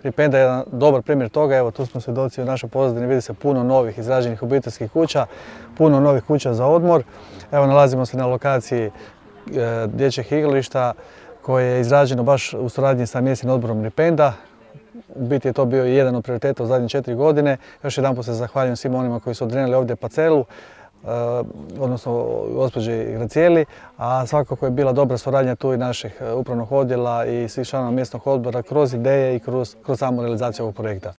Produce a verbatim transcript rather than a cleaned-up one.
Ripenda je jedan dobar primjer toga. Evo, tu smo svjedoci u našoj pozadini, vidi se puno novih izrađenih obiteljskih kuća, puno novih kuća za odmor. Evo, nalazimo se na lokaciji e, dječjeg igrališta koje je izrađeno baš u suradnji sa mjesnim odborom Ripenda. U biti je to bio i jedan od prioriteta u zadnje četiri godine. Još jedanput se zahvaljujem svima onima koji su odrenili ovdje parcelu, odnosno gospođi Gracijeli, a svakako je bila dobra suradnja tu i naših upravnog odjela i svih članova mjesnog odbora kroz ideje i kroz, kroz samu realizaciju ovog projekta.